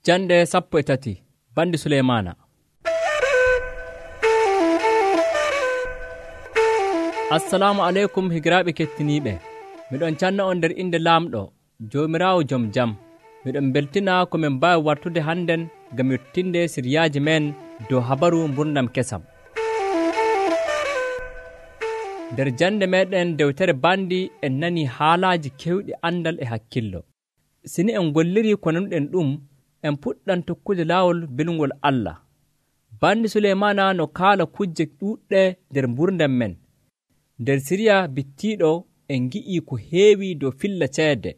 Jande 13 bandi Suleymana. Assalamu alaikum higiraaɓe kettiniiɓe. Miɗon canna on nder inde laamɗo Joomiraawo jom jam. Miɗon beltina ko min mbaawi wartude hannden ngam yottinde siryaaji men dow habaru mburnam kesam. Nder jande meɗen dewtere bandi en nani haalaaji kewɗi andal e hakkillo. Sini en golliri ko nanuɗen ɗum, en puɗɗan tokkude laawol belngol Allah. Bandi Suleymana no kaala kujje ɗuuɗɗe nder mburdam men. Nder siriya bittiiɗo en ngi'i ko heewi dow filla ceede.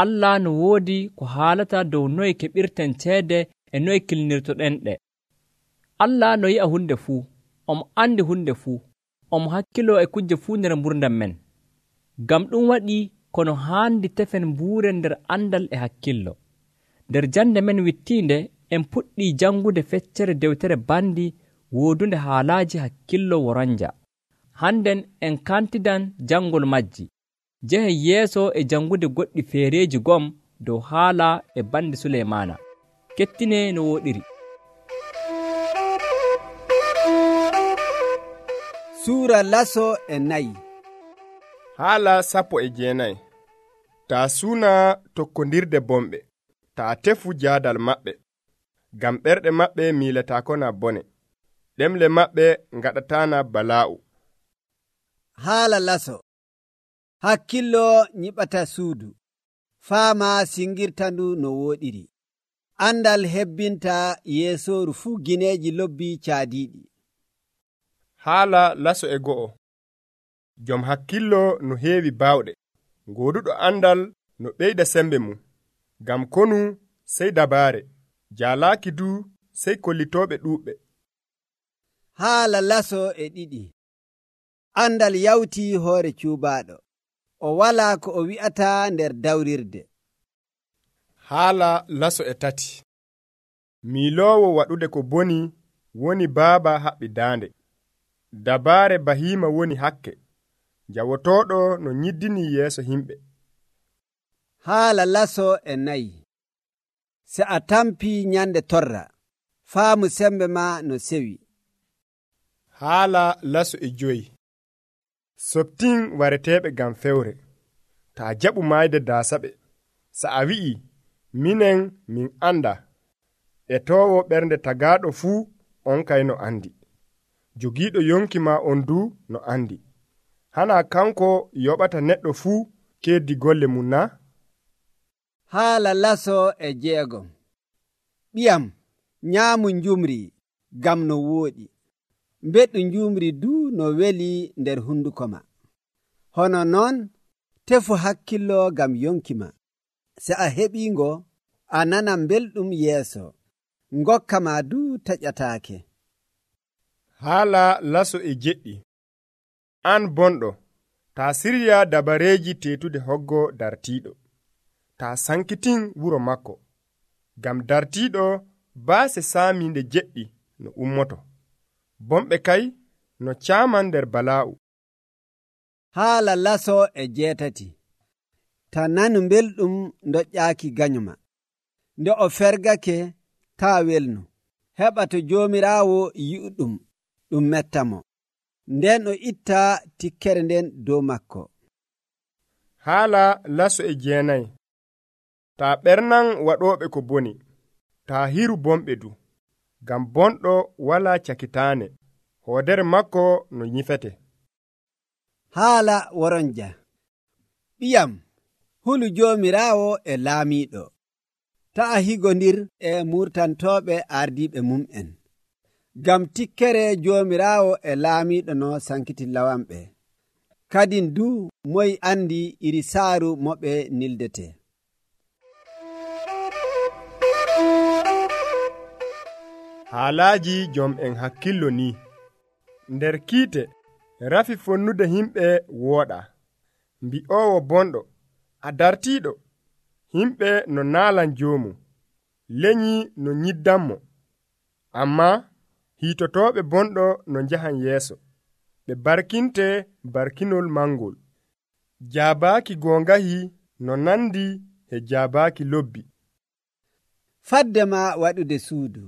Allah no woodi ko haalata dow noye keɓirten ceede e noye kilnirtoɗen ɗe. Allah no yi'a hunde fuu, omo andi hunde fuu, omo hakkilo e kujje fuu nder mburdam men. Ngam ɗum waɗi kono haandi tefen mbuuren nder andal e hakkillo. Nder jande men wittiinde en puɗɗii jangude feccere dewtere bandi woodunde haalaaji hakkillo woranja. Hannden en kantidan jangol majji. Jehen yeeso e jangude goɗɗi feereeji gom dow haala e bandi Suleymana. Kettine no woɗiri. Suura laso e nayi. Haala 19. Taa suuna tokkondirde bomɓe, taa tefu jaadal maɓɓe, ngam ɓerɗe maɓɓe miilataakona bone, ɗemle maɓɓe ngaɗataana balaa'u. Haala laso. Hakkillo nyiɓata suudu, faama singirtandu no wooɗiri. Andal hebbinta yeesooru fuu gineeji lobbi caadiiɗi. Haala laso e go'o. Jom hakkillo no heewi baawɗe, gooduɗo andal no ɓeyda sembe mum, ngam konu sey dabaare, jaalaaki du sey kollitooɓe ɗuuɓɓe. Haala laso e ɗiɗi. Andal yawtii hoore cuubaaɗo, o walaa ko o wi'ata nder dawrirde. Haala laso e tati. Miiloowo waɗude ko boni woni baaba haɓɓi daande. Dabaare bahiima woni hakke, jawotooɗo no nyiddini yeeso himɓe. Haala laso e nayi. Se a tampii nyande torra, faamu sembe ma no sewi. Haala laso e joyi. Soptin wareteeɓe ngam fewre, taa jaɓu maayde daasaɓe. Sa a wi'i, minen min anda, e toowo ɓernde tagaaɗo fuu on kay no andi. Jogiiɗo yonki ma on du no andi. Hana kanko yoɓata neɗɗo fuu keddi golle mum na? Haala laso e jeegom. Ɓiyam, nyaamu njumri gam no wooɗi. Mbeɗu njumri du no weli nder hunduko ma. Hono noon, tefu hakkillo gam yonki ma. Se a heɓiingo, a nanan belɗum yeeso. Ngokka ma du taƴataake. Haala laso e jeɗɗi. An bonɗo, taa sirya dabareeji teetude hoggo dartiiɗo. Taa sankitin wuro makko. Gam dartiiɗo baase saamiinde jeɗɗi no ummoto. Bomɓe kay no caaman nder balaa'u. Haala laso e jeetati. Ta nanu belɗum doƴƴaaki ganyuma. Nde o fergake taa welnu. Heɓa to Joomiraawo yi'uɗum, ɗum mettamo. Nden o itta tikkere nden dow makko. Haala laso e jeenayi. Taa ɓernan waɗooɓe ko boni, taa hiru bomɓe du, ngam bonɗo walaa cakitaane, hoodere makko no nyifete. Haala woronja. Ɓiyam, hulu Joomiraawo e laamiiɗo. Ta'a higondir e murtantooɓe ardiiɓe mum'en. Gam tikkere Joomiraawo e laamiiɗo no sankiti lawanɓe. Kadin du moy andi iri saaru moɓe nildete. Haalaaji jom en hakkillo ni. Nder kiite rafi fonnude himɓe wooɗa. Mbi'oowo bonɗo, a dartiiɗo. Himɓe no naalan joomu, leñi no nyiddanmo. Amma hiitotooɓe bonɗo no njahan yeeso. Ɓe barkinte barkinol mangol. Jaabaaki goongahi no nandi e jaabaaki lobbi. fadde ma waɗude suudu,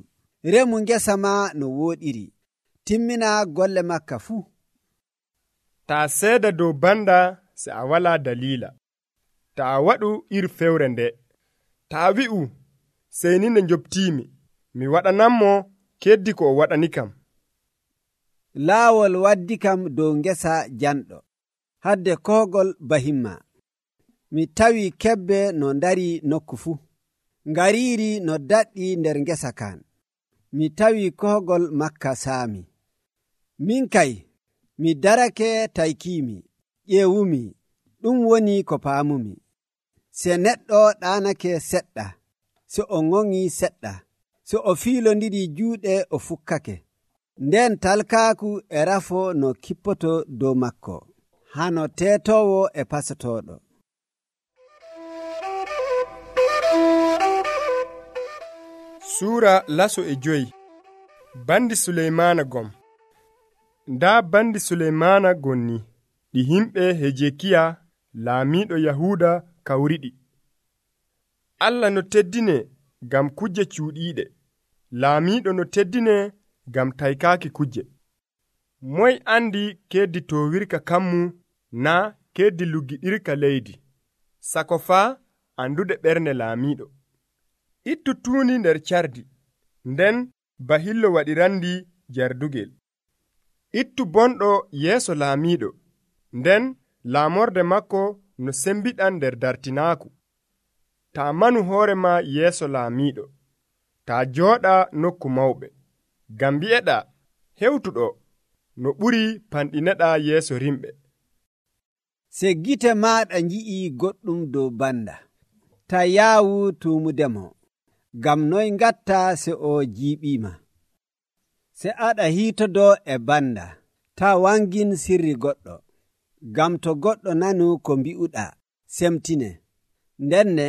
remu ngesa ma no wooɗiri, timmina golle makka fuu. taa seeda dow banda se a walaa dalila, taa waɗu iri fewre nde, taa wi'u sey ni nde njobtiimi, mi waɗananmo keddi ko o waɗani kam. Laawol waddi kam dow ngesa janɗo, hadde kohgol bahimma. Mi tawi kebbe no ndari nokku fuu, ngariiri no daɗɗi nder ngesa kan. Mi tawi kohgol makka saami. Min kay, mi darake taykiimi, ƴeewumi, ɗum woni ko paamumi. Se neɗɗo ɗaanake seɗɗa, se o ŋoŋi seɗɗa, se o fiilondiri juuɗe o fukkake, nden talkaaku e rafo no kippoto dow makko, hano teetowo e pasotooɗo. Suura laso e joyi. Bandi Suleymaana gom. Ndaa bandi Suleymaana gonni ɗi himɓe Hejekiya laamiiɗo Yahuuda kawriɗi. Allah no teddine ngam kujje cuuɗiiɗe, laamiiɗo no teddine ngam taykaaki kujje. Moy andi keddi toowirka kammu naa keddi luggiɗirka leydi, sako faa andude ɓernde laamiiɗo. Ittu tuuni nder cardi, nden bahillo waɗirandi jardugel. Ittu bonɗo yeeso laamiiɗo, nden laamorde makko no sembiɗan nder dartinaaku. Taa manu hoorema yeeso laamiiɗo, taa jooɗa nokku mawɓe, ngam mbi'eɗaa hewtuɗo no ɓuri panɗineɗaa yeeso rimɓe. Se gite maaɗa nji'i goɗɗum dow banda, taa yaawu tuumudemo, ngam noy ngatta se o jiiɓiima. Se aɗa hiitodo e banda, taa wangin sirri goɗɗo, ngam to goɗɗo nanu ko mbi'uɗaa, semtine, ndenne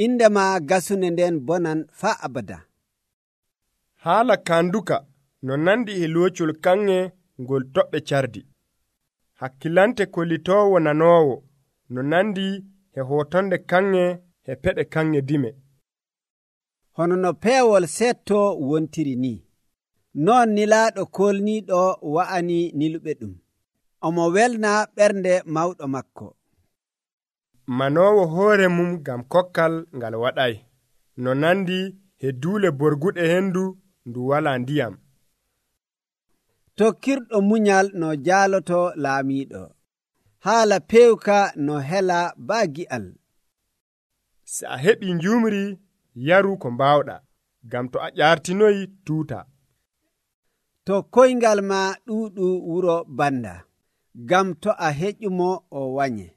indema gasune nden bonan faa abada. Haala kanduka no nandi e loocol kanŋe ngol toɓɓe cardi. Hakkilante kollitoowo nanoowo no nandi e hootonde kanŋe e peɗe kanŋe dime. Hono no peewol setto wontiri ni, non nilaaɗo kolniiɗo wa'ani niluɓe ɗum. Omo welna ɓernde mawɗo makko. Manoowo hoore mum ngam kokkal ngal waɗay, no nandi e duule borguɗe hendu ndu walaa ndiyam. Tokkirɗo munyal no jaaloto laamiiɗo, haala peewka no hela baa gi'al. Se a heɓi njumri, yaru ko mbaawɗaa, ngam to a ƴaartinoyi tuuta. To koyngal ma ɗuuɗu wuro banda, ngam to a heƴumo o wanye.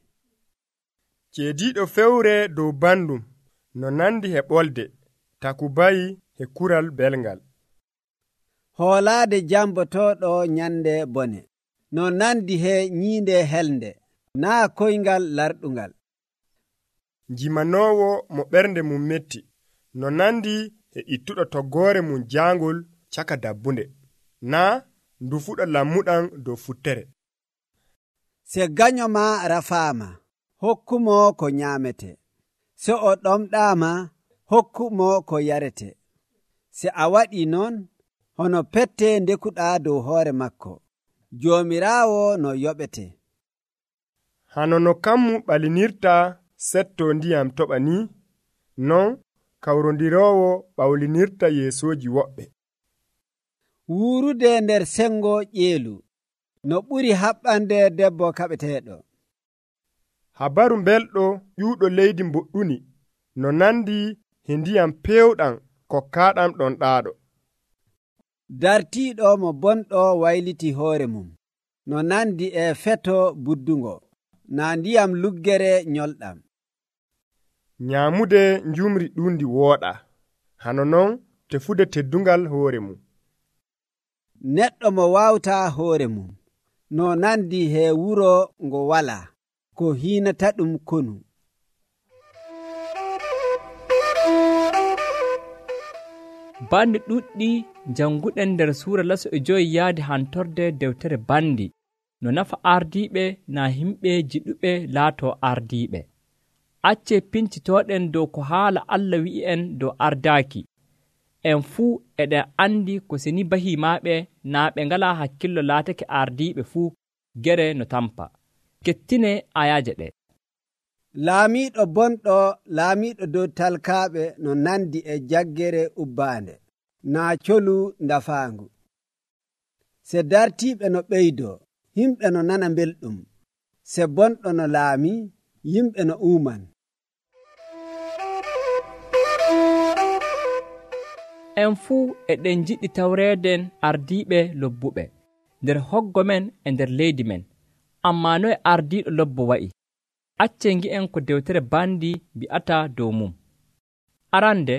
Ceediiɗo fewre dow bandum no nandi e ɓolde, taku bayi e kural belngal. Hoolaade jambotooɗo nyande bone, no nandi he nyiinde helde, naa koyngal larɗungal. Njimanoowo mo ɓernde mum metti, no nandi e ittuɗo toggoore mum jaangol caka dabbunde, naa ndufuɗo lammuɗan dow futtere. Se ganyo ma rafaama, hokkumo ko nyaamete. Se o ɗomɗaama, hokkumo ko yarete. Se a waɗi non, hono pette ndekuɗaa dow hoore makko. Joomiraawo no yoɓete. Hano no kammu ɓalinirta setto ndiyam toɓa ni, non kawrondiroowo ɓawlinirta yeesooji woɓɓe. Wuurude nder sengo ƴeelu, no ɓuri haɓɓande debbo kaɓeteeɗo. Habaru belɗo ƴuuɗo leydi mboɗɗuni, no nandi e ndiyam pewɗam kokkaaɗam ɗon ɗaaɗo. Dartiiɗo mo bonɗo wayliti hoore mum, no nandi e feto buddungo, naa ndiyam luggere nyolɗam. Nyaamude njumri ɗuundi wooɗa, hano non tefude teddungal hoore mum. Neɗɗo mo waawta hoore mum, no nandi he wuro ngo walaa, ko hiinata ɗum konu. Bandi ɗuɗɗi janguɗen nder suura laso e joyi yaadi hantorde dewtere bandi no nafa ardiiɓe na himɓe jiɗuɓe laato ardiiɓe. acce pincitooɗen dow ko haala Allah wi'i'en dow ardaaki. En fuu eɗen andi ko seni bahimaaɓe naa ɓe ngalaa hakkillo laatake ardiiɓe fuu gere no tampa. Kettine ayaaje ɗe. Laamiiɗo bonɗo laamiiɗo dow talkaaɓe no nandi e jaggere ubbaande naa colu ndafaangu. Se dartiiɓe no ɓeydoo, yimɓe no nana belɗum. Se bonɗo no laami, yimɓe no uuman. En fuu eɗen jiɗɗi tawreeden ardiiɓe lobbuɓe nder hoggo men e nder leydi men. Ammaa noye ardiiɗo lobbo wa'i? Acce ngi'en ko dewtere bandi bi'ata dow mum. Arande,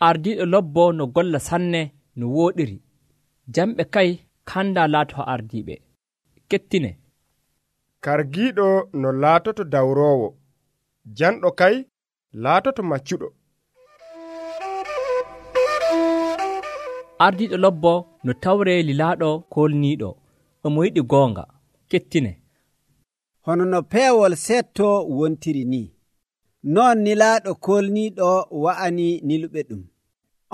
ardiiɗo lobbo no golla sanne no wooɗiri. Jamɓe kay kanda laato ardiiɓe. Kettine. Kargiiɗo no laatoto dawroowo, janɗo kay laatoto maccuɗo. Ardiiɗo lobbo no tawre lilaaɗo kolniiɗo, omo yiɗi goonga. Kettine. Hono no peewol setto wontiri ni, non nilaaɗo kolniiɗo wa'ani niluɓe ɗum.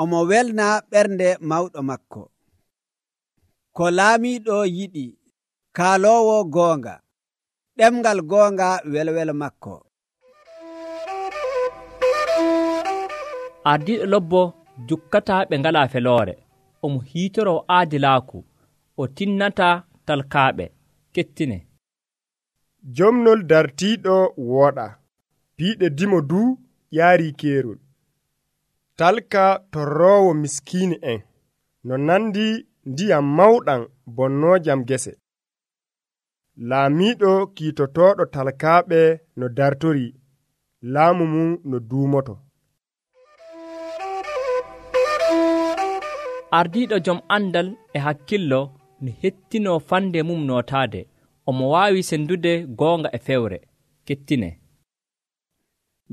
Omo welna ɓernde mawɗo makko. Ko laamiiɗo yiɗi, kaaloowo goonga, ɗemngal goonga welwelo makko. Ardiiɗo lobbo jukkata ɓe ngalaa feloore. Omo hiitoroo aadilaaku, o tinnata talkaaɓe. Kettine. Jomnol dartiiɗo wooɗa, piiɗe dimo du ƴaari keerol. Talka torroowo miskiini en, no nandi ndiyam mawɗam bonnoojam gese. Laamiiɗo kiitotooɗo talkaaɓe no dartori, laamu mum no duumoto. Ardiiɗo jom andal e hakkillo no hettinoo fande mum nootaade. Omo waawi sendude goonga e fewre. Kettine.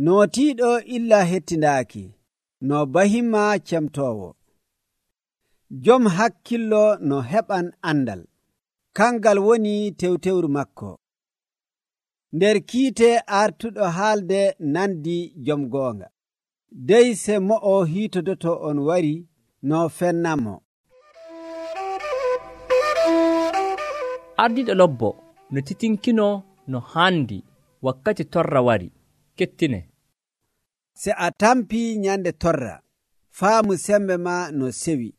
Nootiiɗo illa hettindaaki, no bahima cemtoowo. Jom hakkillo no heɓan andal, kangal woni tewtewru makko. Nder kiite artuɗo haalde nandi jom goonga. Dey se mo'o hiitodoto on wari, no fennamo. Ardiiɗo lobbo no titinkino no haandi wakkati torra wari. Kettine. Se a tampi nyande torra, faamu sembe ma no sewi.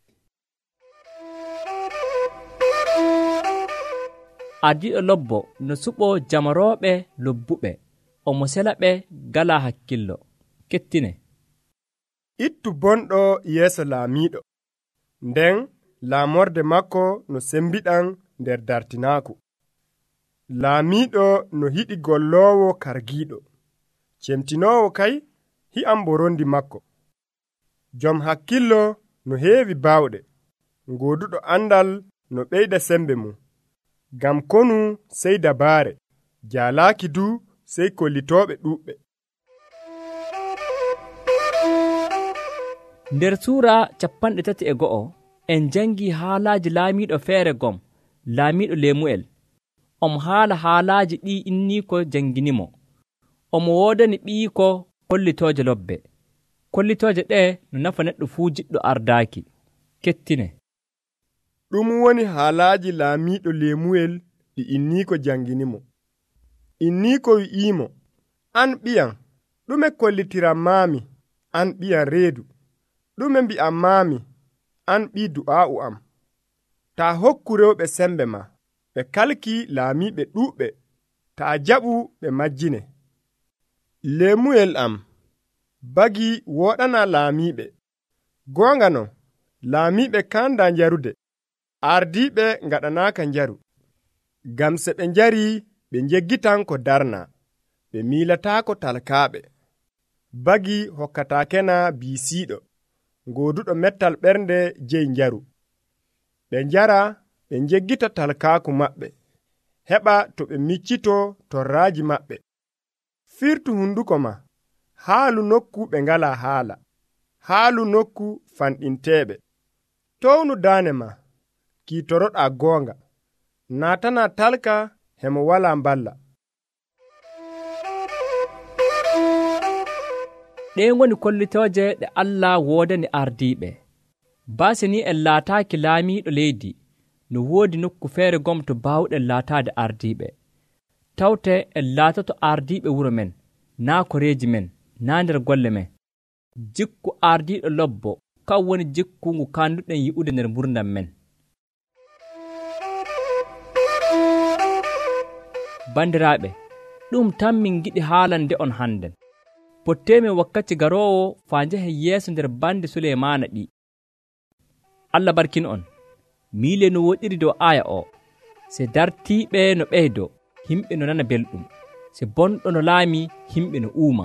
Ardiiɗo lobbo no suɓo jamarooɓe lobbuɓe, omo sela ɓe gala hakkillo. Kettine. Ittu bonɗo yeeso laamiiɗo, nden laamorde makko no sembiɗan nder dartinaaku. Laamiiɗo no hiɗi golloowo kargiiɗo, cemtinoowo kay hi'an borondi makko. Jom hakkillo no heewi baawɗe, gooduɗo andal no ɓeyda sembe mum. Gam konu sey dabaare, jaalaaki du sey kollitooɓe ɗuuɓɓe. Nder suura 31 en jangi haalaaji laamiiɗo feere gom, laamiiɗo Lemuel. Omo haala haalaaji ɗi inniiko janginimo. Omo woodani ɓiiko kollitooje lobbe. Kollitooje ɗe no nafa neɗɗo fuu jiɗɗo ardaaki. Kettine. Ɗum woni haalaaji laamiiɗo Lemuel ɗi inniiko janginimo. Inniiko wi'iimo, an ɓiyam, ɗume kollitiram maami, an ɓiyam reedu. Ɗume mbi'am maami, an ɓii du'aa'u am. Taa hokku rewɓe sembe ma, ɓe kalki laamiiɓe ɗuuɓɓe, taa jaɓu ɓe majjine. Lemuel am, bagi woɗana laamiiɓe. Goonga non, laamiiɓe kanda njarude, ardiiɓe ngaɗanaaka njaru. Gam se ɓe njari ɓe njeggitan ko darna, ɓe miilataako talkaaɓe. Bagi hokkataakena biisiiɗo, gooduɗo mettal ɓernde jeyi njaru. Ɓe njara ɓe njeggita talkaaku maɓɓe, heɓa to ɓe miccito torraaji maɓɓe. Firtu hunduko ma, haalu nokku ɓe ngala haala, haalu nokku fanɗinteeɓe. Townu daane ma, kiitoroɗaa goonga, naatana talka hemo walaa mballa. ɗee ngoni kollitooje ɗe Allah woodani ardiiɓe. Baasi ni en laataaki laamiiɗo leydi, no woodi nokku feere gom to baawɗen laataade ardiiɓe. Tawte en laatoto ardiiɓe wuro men, naa koreeji men, naa nder golle men. Jikku ardiiɗo lobbo kan woni jikku ngu kanduɗen yi'ude nder mburdam men. Bandiraaɓe, ɗum tan min giɗi haalande on hannden. Potteemin wakkati garoowo faa njahen yeeso nder bandi Suleymaana ɗi. Allah barkin on. Miile no woɗiri dow aaya o. Se dartiiɓe no ɓeydo, himɓe no nana belɗum. Se bonɗo no laami, himɓe no uuma.